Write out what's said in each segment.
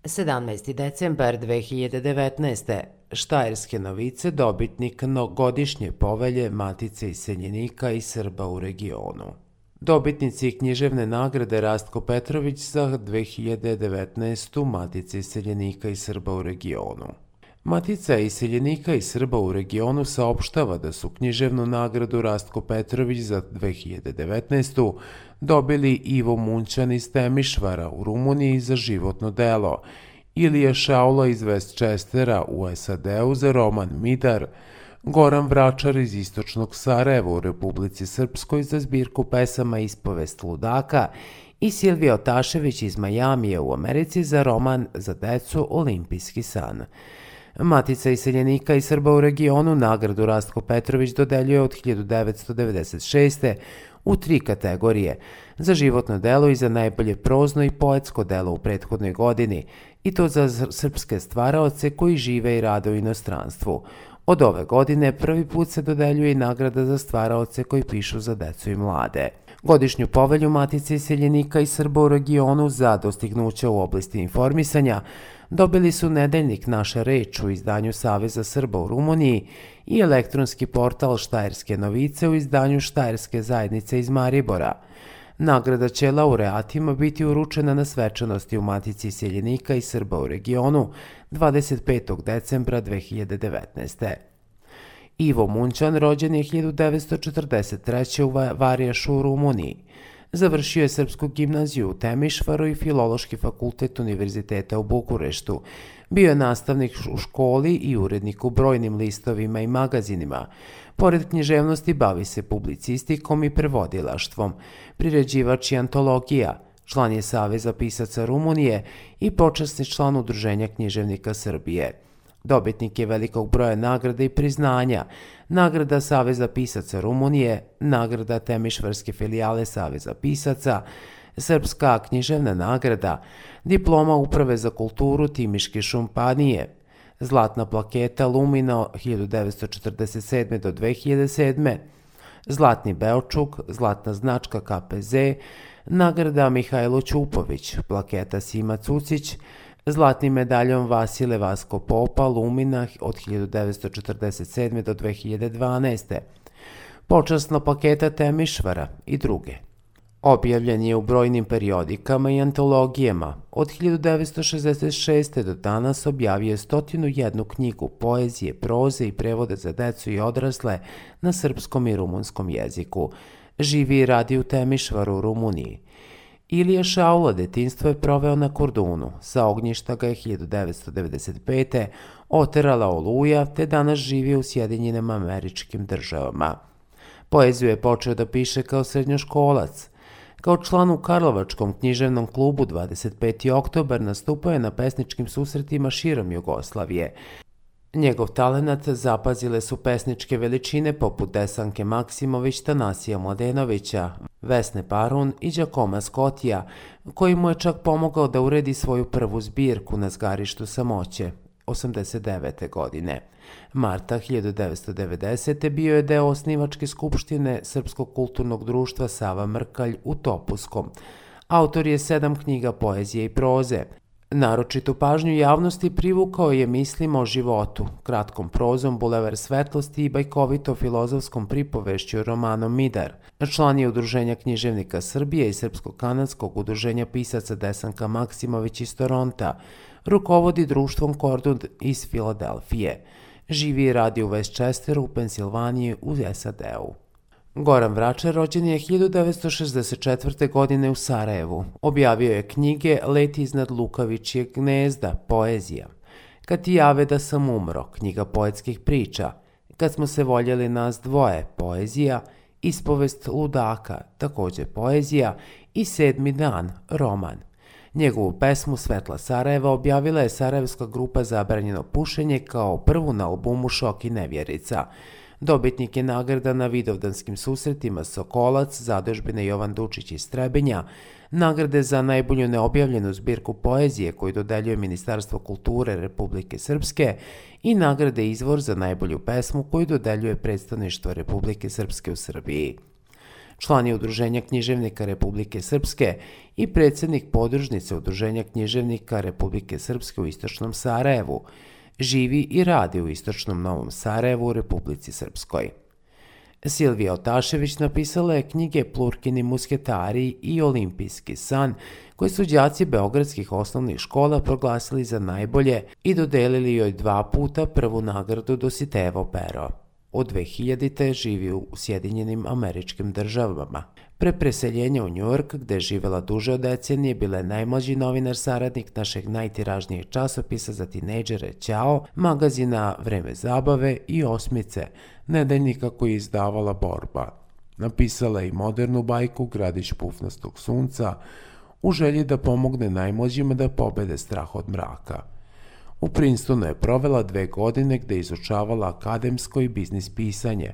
17. decembar 2019. Štajerske novice, dobitnik godišnje povelje Matice iseljenika i Srba u regionu. Dobitnici književne nagrade Rastko Petrović za 2019. Matice iseljenika i Srba u regionu. Matica iseljenika i Srba u regionu saopštava da su književnu nagradu Rastko Petrović za 2019. dobili Ivo Munćan iz Temišvara u Rumuniji za životno delo, Ilija Šaula iz Westchestera u SAD-u za roman Midar, Goran Vračar iz istočnog Sarajeva u Republici Srpskoj za zbirku pesama Ispovest ludaka i Silvija Otašević iz Majamija u Americi za roman za decu Olimpijski san. Matica iseljenika i Srba u regionu nagradu Rastko Petrović dodeljuje od 1996. u 3 kategorije, za životno delo i za najbolje prozno i poetsko delo u prethodnoj godini, i to za srpske stvaraoce koji žive i rade u inostranstvu. Od ove godine prvi put se dodeljuje i nagrada za stvaraoce koji pišu za decu i mlade. Godišnju povelju Matice iseljenika i Srba u regionu za dostignuća u oblasti informisanja dobili su nedeljnik Naša reč u izdanju Saveza Srba u Rumuniji i elektronski portal Štajerske novice u izdanju Štajerske zajednice iz Maribora. Nagrada će laureatima biti uručena na svečanosti u Matici iseljenika i Srba u regionu 25. decembra 2019. Ivo Munćan rođen je 1943. u Varijašu u Rumuniji. Završio je Srpsku gimnaziju u Temišvaru i Filološki fakultet Univerziteta u Bukureštu. Bio je nastavnik u školi i urednik u brojnim listovima i magazinima. Pored književnosti bavi se publicistikom i prevodilaštvom, priređivač i antologija, član je Saveza pisaca Rumunije i počasni član Udruženja književnika Srbije. Dobitnik je velikog broja nagrada i priznanja, nagrada Saveza pisaca Rumunije, nagrada Temišvarske filijale Saveza pisaca, Srpska književna nagrada, diploma Uprave za kulturu Timiške šumpanije, zlatna plaketa Lumina 1947. do 2007. Zlatni Beočuk, zlatna značka KPZ, nagrada Mihajlo Ćupović, plaketa Sima Cucić, zlatni medaljon Vasile Vasko Popa Lumina od 1947. do 2012. Počasna plaketa Temišvara i druge. Objavljen je u brojnim periodikama i antologijama. Od 1966. do danas objavio je 101 knjigu poezije, proze i prevoda za decu i odrasle na srpskom i rumunskom jeziku. Živi i radi u Temišvaru u Rumuniji. Ilija Šaula detinjstvo je proveo na Kordunu, sa ognjišta ga je 1995. oterala Oluja, te danas živi u Sjedinjenim Američkim Državama. Poeziju je počeo da piše kao srednjoškolac. Kao član u Karlovačkom književnom klubu 25. oktobar nastupao je na pesničkim susretima širom Jugoslavije. Njegov talenat zapazile su pesničke veličine poput Desanke Maksimović, Tanasija Mladenovića, Vesne Parun i Đakoma Skotija, koji mu je čak pomogao da uredi svoju prvu zbirku Na zgarištu samoće, 89. godine. Marta 1990. bio je deo osnivačke skupštine Srpskog kulturnog društva Sava Mrkalj u Topuskom. Autor je 7 knjiga poezije i proze. Naročitu pažnju javnosti privukao je mislima o životu, kratkom prozom Bulevar svetlosti i bajkovito-filozofskom pripovešću romanom Midar. Član je Udruženja književnika Srbije i Srpsko-kanadskog udruženja pisaca Desanka Maksimović iz Toronta. Rukovodi društvom Kordun iz Filadelfije. Živi i radi u Westchesteru u Pensilvaniji u SAD-u. Goran Vračar rođen je 1964. godine u Sarajevu. Objavio je knjige Let iznad Lukavičjeg gnezda, poezija. Kad ti jave da sam umro, knjiga poetskih priča. Kad smo se voljeli nas dvoje, poezija. Ispovest ludaka, također poezija. I 7. dan, roman. Njegovu pesmu Svetla Sarajeva objavila je sarajevska grupa Zabranjeno pušenje kao prvu na albumu Šok i nevjerica. Dobitnik je nagrada na Vidovdanskim susretima Sokolac, zadužbine Jovan Dučić iz Trebinja, nagrade za najbolju neobjavljenu zbirku poezije koju dodeljuje Ministarstvo kulture Republike Srpske i nagrade Izvor za najbolju pesmu koju dodeljuje Predstavništvo Republike Srpske u Srbiji. Član je Udruženja književnika Republike Srpske i predsjednik podružnice Udruženja književnika Republike Srpske u Istočnom Sarajevu. Živi i radi u Istočnom Novom Sarajevu u Republici Srpskoj. Silvija Otašević napisala je knjige Plurkini musketari i Olimpijski san, koje su đaci beogradskih osnovnih škola proglasili za najbolje i dodelili joj 2 puta prvu nagradu Dositejevo pero. Od 2000. živi u Sjedinjenim Američkim Državama. Pre preseljenja u Njujork, gde je živela duže od decenije, bila je najmlađi novinar saradnik našeg najtiražnijeg časopisa za tinejdžere Ćao, magazina Vreme zabave i Osmice, nedeljnika koji je izdavala Borba. Napisala je i modernu bajku Gradić pufnastog sunca, u želji da pomogne najmlađima da pobede strah od mraka. U Princetonu je provela 2 godine gde je izučavala akademsko i biznis pisanje.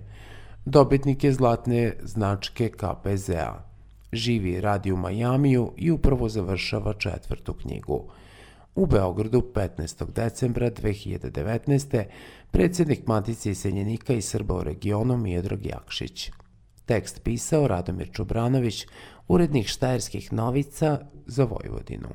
Dobitnik je zlatne značke KPZ-a. Živi i radi u Majamiju i upravo završava 4. knjigu. U Beogradu 15. decembra 2019. predsjednik Matice iseljenika i Srba u regionu Miodrag Jakšić. Tekst pisao Radomir Čobranović, urednik Štajerskih novica za Vojvodinu.